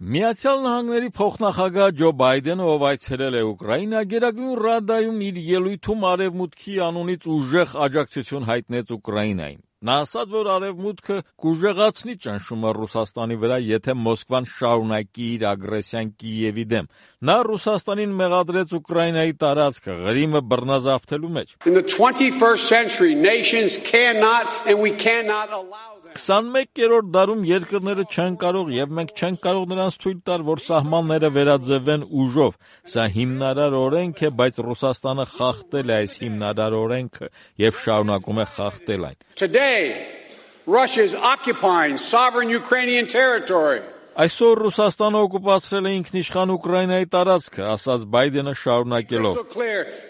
Միացյալ Նահանգների փոխնախագահ Ջո Բայդենը, ով այցելել է Ուկրաինա, Գերագույն Ռադայում իր ելույթում Արևմուտքի անունից ուժեղ աջակցություն հայտնեց Ուկրաինային։ Նա ասաց, որ Արևմուտքը կուժեղացնի ճնշումը Ռուսաստանի վրա, եթե Մոսկվան շարունակի իր ագրեսիան Կիևի դեմ։ Նա Ռուսաստանին մեղադրեց Ուկրաինայի տարածքը Ղրիմը բռնազավթելու մեջ։ In the 21st century, nations cannot and we cannot allow 21-րդ դարում երկրները չեն կարող եւ մենք չենք կարող նրանց թույլ տալ, որ սահմանները վերաձևեն ուժով։ Սա հիմնարար օրենք է, բայց Ռուսաստանը խախտել է այս հիմնարար օրենքը եւ շարունակում է խախտել այն։ Today, Russia is occupying sovereign Ukrainian territory. Այսօր Ռուսաստանը օկուպացրել է ինքնիշխան Ուկրաինայի տարածքը, ասաց Բայդենը շարունակելով.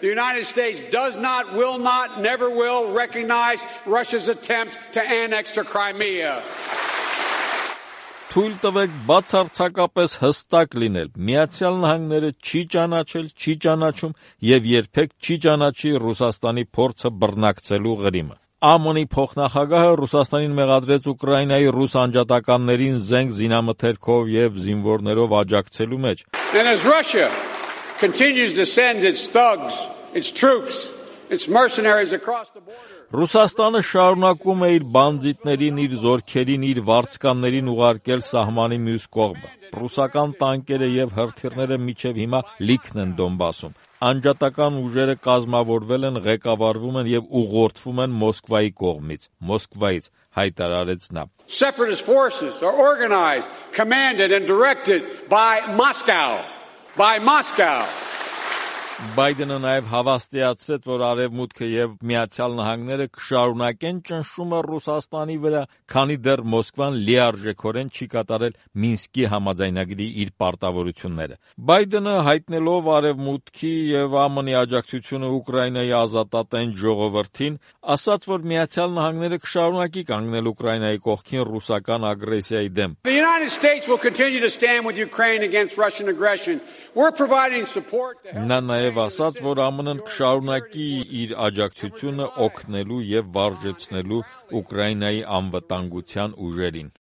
The United States does not, will not, never will recognize Russia's attempt to annex to Crimea. Թույլ տվեք բացարձակապես հստակ լինել. Միացյալ Նահանգները չի ճանաչել, չի ճանաչում եւ երբեք չի ճանաչի Ռուսաստանի փորձը բռնակցելու Ղրիմը։ ԱՄՆ-ի փոխնախագահը Ռուսաստանին մեղադրեց Ուկրաինայի ռուս անջատականներին զենք զինամթերքով եւ զինվորներով աջակցելու մեջ։ And as Russia continues to send its thugs, its troops, its mercenaries across the border. Ռուսաստանը շարունակում է իր բանդիտներին, իր զորքերին, իր վարձկաններին ուղարկել սահմանի մյուս կողմը։ Ռուսական տանկերը եւ հրթիռները մինչեւ հիմա լիքն են Դոնբասում։ Անջատական ուժերը կազմավորվել են, ղեկավարվում են եւ ուղղորդվում են Մոսկվայի կողմից։ Մոսկվայից հայտարարեց նա. Separatist forces are organized, commanded and directed by Moscow. Բայդենը նաև հավաստիացրեց, որ Արևմուտքը եւ Միացյալ Նահանգները կշարունակեն ճնշումը Ռուսաստանի վրա, քանի դեռ Մոսկվան լիարժեքորեն չի կատարել Մինսկի համաձայնագրի իր պարտավորությունները։ Բայդենը հայտնելով Արևմուտքի եւ ԱՄՆ-ի աջակցությունը Ուկրաինայի ազատատենչ ժողովրդին, ասաց, որ Միացյալ Նահանգները կշարունակի կանգնել Ուկրաինայի կողքին ռուսական ագրեսիայի դեմ։ The United States will continue to stand with Ukraine against Russian aggression. We're providing support to help. Նա նաև ասաց, որ ԱՄՆ-ն կշարունակի իր աջակցությունը օգնելու եւ վարժեցնելու Ուկրաինայի անվտանգության ուժերին։